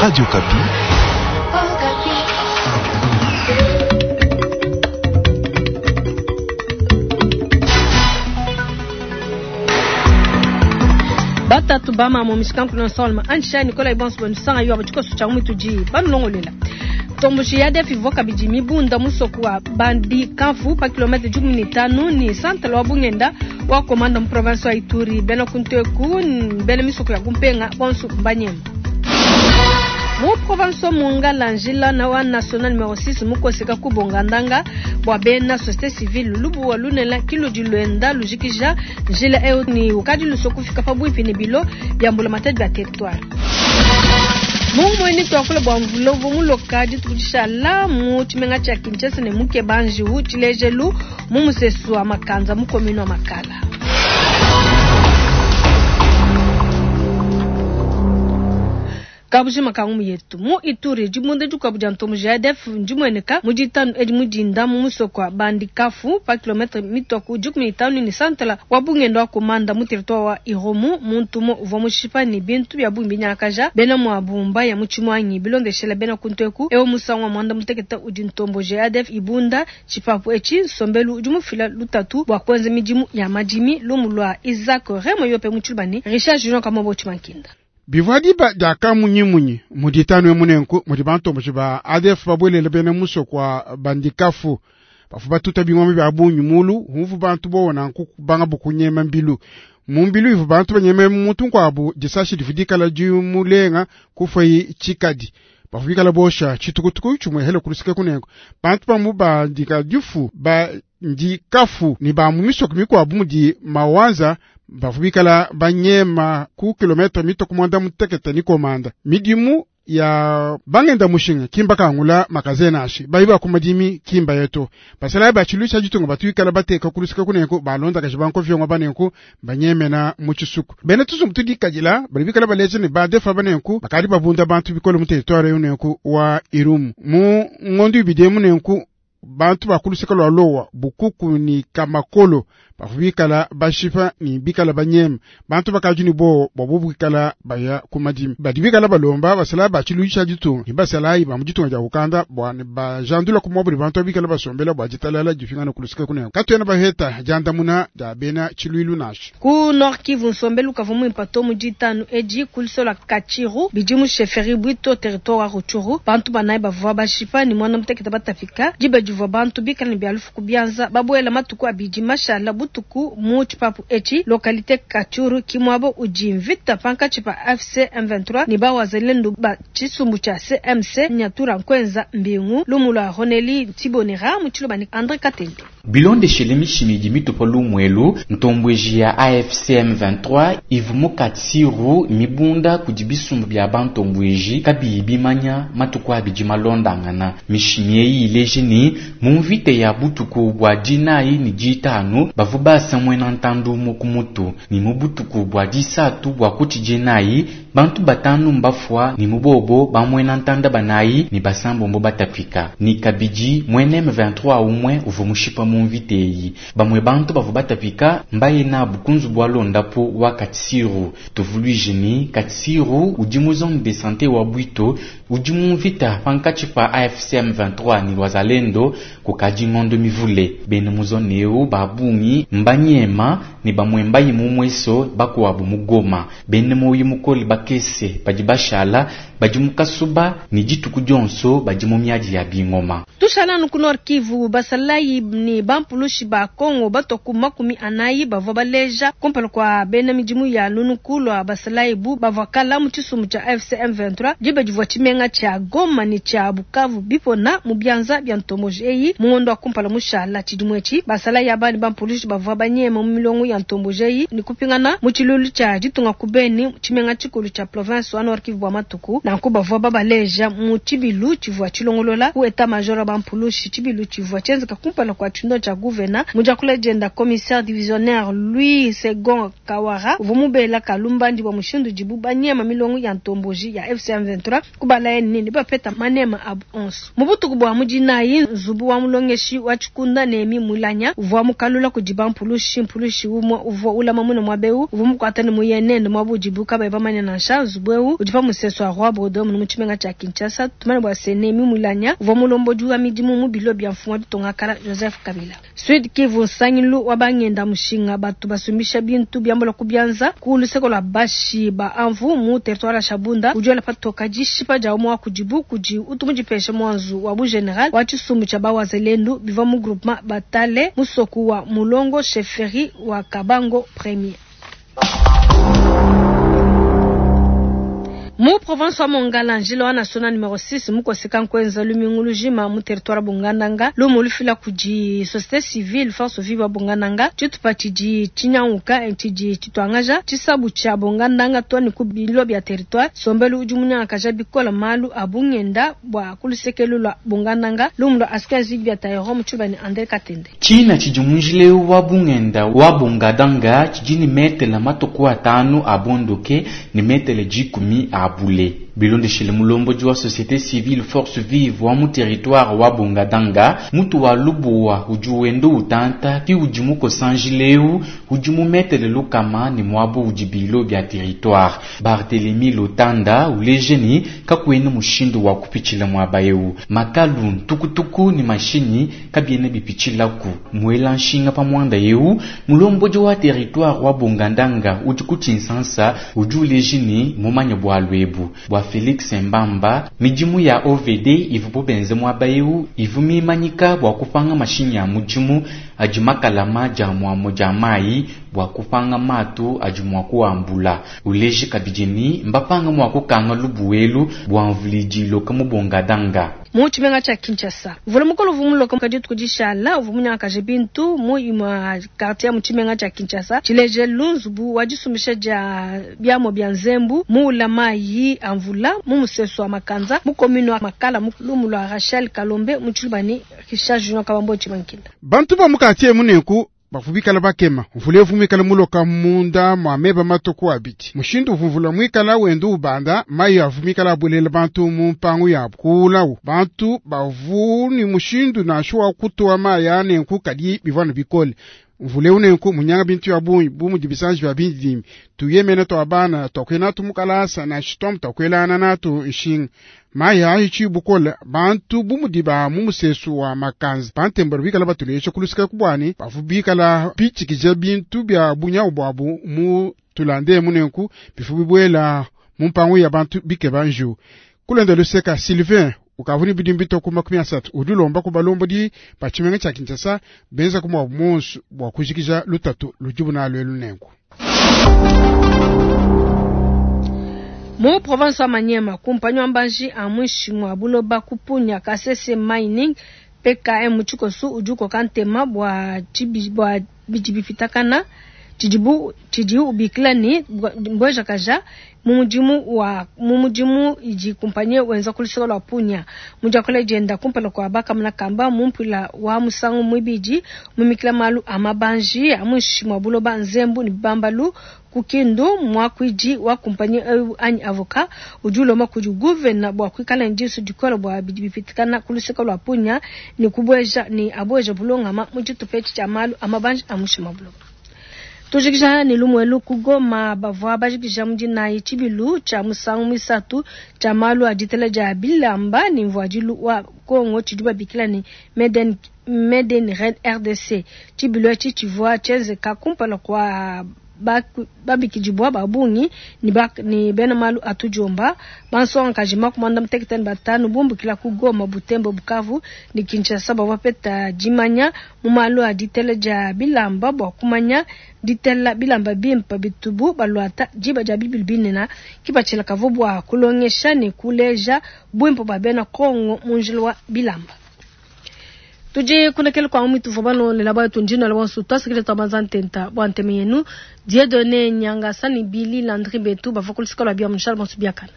Radio Okapi. Batatu ba mamu mishikanku na nsolma antsha Nicolas Ibonso bonusanga yo abatikoso cha mutudi banulongolela. Tombushi ya defi ivua kabidi mibunda musoko wa Bandi Kamfu pa kilometre 15 ni centre wa Bungenda wa komanda mu province wa Ituri. Bena kunteku bena misoko ya kumpenga bonso mbanyema. Mu province wa Mongala njila na wa national numero 6 mukoseka kubonga ndanga bwa bena société civile lubu wa lunela kiludi lwenda lujikija njila eo ni ukadi lusokufika pabwipi ni bilo bya mbula matadi bya territoire. Mungu mweni twakula bwa mvulovu muloka dituku mu tshimenga tshia Kinshasa ne muke banjiwu tshilejelu mu musesu wa Makanza mu commune wa Makala. Kabujima kangu yetu mu Ituri dibunda dikuabu dia ntomo JADF ndimweneka mu ditanu edi mudinda mu musoko wa Bandikafu pa kilometre mitoku 15 ni santala wa bungendo wa komanda mu territoire wa Irumu muntu mo uvua mushipa ni bintu bya bumbi nyakaja bena mwa bumba ya muchimwanyi bilondeshela bena kunteku ewo musangu wa mwanda muteketa udi ntombo JADF ibunda chipapu echi nsombelu udi mufila lutatu bwa kwenza midimu ya madimi lumu lwa Isaac Remo yope muchulubani Richard Junior Kamobo Chimankinda. Bivua diba dia munyimunyi muditanu emunenku mudi bantomboji ba ADF babwelela bena musoko wa Bandikafu bafu batuta bingoma bya bunyi mulu humvu bantu bona nku banga bukunyema mbilu mumbilu ivu bantu banyema muntu nkwabu disashi divudikala dimulenga kufai chikadi bafu bikala bosha chitukutuku chumwehele kulusika kunengo bantu bamu bandika difu ba ndikafu ni ba mu misoko mikwabu mudi mawanza bafu bikala banyema ku kilometre mito kumwanda mutekete ni komanda midimu ya bangenda mushinga kimba kangula makazena ashi bayiba kumadimi kimba yeto basala ba chilusha jitunga batuikala bateka kulusika kunenko balonda kashibanko vyongo banenko banyemena mu chisuku bene tuzumbu tudikajila bali bikala baleje ne badefa banenko bakali babunda bantu bikolo mu territoire yunenko wa Irumu mu ngondo ibidemu nenko bantu bakulusika lwa lowa bukuku ni kamakolo bafubikala bashipa ni bikala banyema bantu bakaju ni bo bobu bikala baya kumadimi badi bikala balomba basala bachiluisha jitunga ni basala iba mujitunga ja ukanda bwa ne bajandula kumwabuli bantu bikala basombela bwa jitalala jifingana kulusika kunengo katwena baheta jandamuna da bena chiluilu nashi ku Nord Kivu nsombelu kavumu impato mujitanu eji kulisola Kachiru bidimu chefferie Bwito territoire wa Rutshuru bantu banayi bavua bashipa ni mwana mutekete batafika diba divua bantu bikala ne byalufu kubyanza babwela matuku abidi mashala butuku mu tshipapu echi localité Kachuru kimwabo udi mvita pankatshi pa AFC M23 ni bawazalendu ba tshisumbu tshia CMC Nyatura Nkwenza Mbingu lumu lwa Roneli Tibonera mu tshilobani André Katende. Bilondeshele mishimi mitupa lumwelu ntombweji ya AFC M23 ivu Katsiru mibunda kudi bisumbu bya bantombweji kabiyi bimanya matuku abidi malondangana mishimi eyi ileje ni mu mvita ya butuku bwa dinayi ni ditanu bavu basa mwena ntandu kumutu ni mu butuku bwa disatu bwa kuti dinayi bantu batanu mbafwa ni mubobo bamwena ntanda banayi ni basambombo batafika ni kabidi mwene M23 umwe uvu mushipa mu mvita eyi bamwe bantu bavu batafika mbaye nabu kunzu bwa londapo wa Katsiru tuvuluije ni Katsiru udi mu zone de santé wa Bwito udi mu mvita pankatshi pa AFC M23 ni wazalendo kukadi ngondo mivule bene mu zone eu babungi mbanyema ni bamwe mbayi mu mweso bakuwabu mu Goma bene moyi mukoli bakese badi bashala badi mukasuba ni dituku dionso badi mu miadi ya bingoma. Tushala nuku Nord Kivu basalayi ni bampulushi ba Kongo batoku 40 bavua baleja kumpala kwa bena midimu ya lunuku lwa basalayi bu bavua kala mu tshisumbu tshia AFC M23 diba divua tshimenga tshia Goma ni tshia Bukavu bipona mu bianza bya ntomboji eyi mu ngondo wa kumpala mushala tshidimu etshi basalayi aba ni bampulushi bavua banyema mu milongo ya ntomboji eyi ni kupingana mu tshilulu tshia ditunga ku Beni tshimenga tshikulu tshia province wa Nord Kivu bua matuku nanku bavua babaleja mu tshibilu tshivua tshilongolola ku état major bampulushi tshibilu tshivua tshienzeka kumpala kwa tshindo tshia gouverneur mujakula jenda commissaire divisionnaire Louis Second Kawara uvua mubela kalumbandi bua mushindu dibu banyema milongo ya ntomboji ya AFC M23 kubala nini bapeta manema abu onso mu butuku bua mudinayi nzubu wa mulongeshi wa tshikunda Nemi Mulanya uvua mukalula kudi bampulushi mpulushi umwe uvua ulama mune mwabeu uvua mukwata ne muyenende mwabu dibu kabayi bamanya nansha. nansha. Nzubu eu udi pa musesu wa Roi Baudouin mu tshimenga tshia Kinshasa. Tumanye bua se, Nehemie Mwilanya uvua mulombodi wa midimu mu bilo bia mfumu wa ditunga kala Joseph Kabila. Sud Kivu, nsangilu wa bangenda mushinga batu basumbisha bintu biambula ku bianza ku luseke lua bashi ba Amvu mu territoire ya Shabunda udi wela patoka dishipa dia umue wa kudibu kudi utu mudipeshe muanzu wa bu general wa tshisumbu tshia ba Wazalendu bivua mu groupement Batale musoku wa Mulongo chefferie wa Kabango Premier. Mu province wa Mongala, njila wa national numero 6 mukoseka nkuenza lumingu lujima mu territoire Bongandanga, lumu lufila kudi société civile force vive Bongandanga, tshitupa tshidi tshinyanguka tshidi tshituangaja tshisabu tshia Bongandanga to ne ku bilo bia territoire. Sombelu udi munyangakaja bikola malu a bungenda bua ku lusekelu lua Bongandanga, lumu lua Askin Zigbia Taero mu tshiluba ne Andre Katende. Tshina tshidi mu njila eu wa bungenda wa Bongadanga tshidi ne metele matuku atanu a bondoke ne metele 10 a bule. Bilondeshile mulombodi wa société civile force vive wa mu territoire wa Bongadanga, mutu wa lubuwa udi wenda utanta ki udi mukosa njila eu udi mu metele lukama ne muabu udi bilo bia territoire. Barthélemy Lotanda uleje ni kakuena mushindu wa kupitshila muaba eu. Makalu, ntukutuku ne mashinyi kabiena bipitshilaku. Muela nshinga pa muanda eu, mulombodi wa territoire wa Bongandanga udi ku Tshinsansa udi uleje ni mumanye bualu ebu. Bua Felix Mbamba, midimu ya OVD ivu benze muaba eu ivu mimanyika bua kupanga mashinyi ya mudimu adi makalama dia muamu dia mai bua kupanga matu adi mua kuambula. Uleje kabidi ni mbapanga mua kukanga lubuelu bua mvulidilo ka mu Bongadanga. Mu tshimenga tshia Kinshasa, mvula mukolo uvua muloka kadi dituku dishala uvua munyangakaje bintu mu imue quartier mu tshimenga tshia Kinshasa. Tshilejelu nzubu wa disumbisha dia biamua bia nzembu muula mayi a mvula mu musesu wa Makanza mu commune wa Makala mu lumu lua Rachel Kalombe mu tshiluba ne Richard Junior Kabambo Tshibankila. Bantu ba mu quartier muneku bavubikala bakema mvula evumikala muloka munda mwa meba matuku abidi mushindu uvumvula mwikala wenda ubanda mayi avumikala abuelela bantu mu mpangu yabu kuulawu bantu bavu ni mushindu nansha wa kutuwa mayi anenku kadi bivua bikole mvula eu nenku munyanga bintu ya bungi bu mudi bisanji bia bindidimbi tuyemene twa bana twakwena natu mukalasa nansha twamu twakwelana natu nshinga mayi ayi bukola bantu bu mudi ba mu musesu wa Makanza bantembelo bikala batulesha kulusika kubwani bavu bikala bitshikija bintu bia bunyawu bwabu mu tulande munenku bifu bibwela mu mpangu ya bantu bikeba nju kulenda luseka Sylvain ukavuni bidi mbito ku 30 udi ulomba ku balombodi ba tshimenga tshia Kinshasa benza ku mwabu monsu bua kujikija lutatu ludibu nalu nenku. Mu province wa Maniema, kumpanyi wa mbanji a mwishi mwa buloba kupunya Kasese Mining PKM mu tshikosu udi ukoka ntema bua tshibi, bua bidi bipitakana tshidibu tshidi ubikila ni mbwejakaja mu mudimu wa mu mudimu idi kumpanyi wenza ku luseke lua Punya. Mu diakula dienda kumpala kua bakamuna kamba mu mpila wa musangu muibidi mumikila malu a mabanji a mwishi mwa buloba nzembu ne bambalu ku Kindu mwakuidi wa kumpanyi eu anyi avocat udi ulomba kudi gouverneur bua kuikala ne disu dikole bua bidi bipitikana ku luseke lua Punya ne kubueja ne abueja bulongama mu tshitupa etshi tshia malu a mabanji a mwishi mwa buloba. Tujikija ne lumuelu ku Goma bavua bajikija mu dinayi tshibilu tshia musangu muisatu tshia malu a ditela dia bilamba ne mvuadilu wa Kongo tshidi babikila ne Made in Red RDC. Tshibilu etshi tshivua tshienzeka kumpala kua babikidibwa ba bungi ne bena malu atujomba bansongakaji 55 bumbukila ku Goma, Butembo, Bukavu ne Kinshasa bavua bapeta dimanya mu malu a ditela dia bilamba bua kumanya ditela bilamba bimpe bitubu baluata diba dia bibilu binene kipatshila kavua bua kulongesha ne kuleja bwimpe bua bena Kongo mu njila wa bilamba. Tudi kunekele kwa mwitu vobano le laba tundina le wansu twasikile twabanza ntenta bwa nteme yenu Dieudonné Nyangasa ni Billy Landry Betu bavua ku lusika lua bia Charles Bonsu Biakana.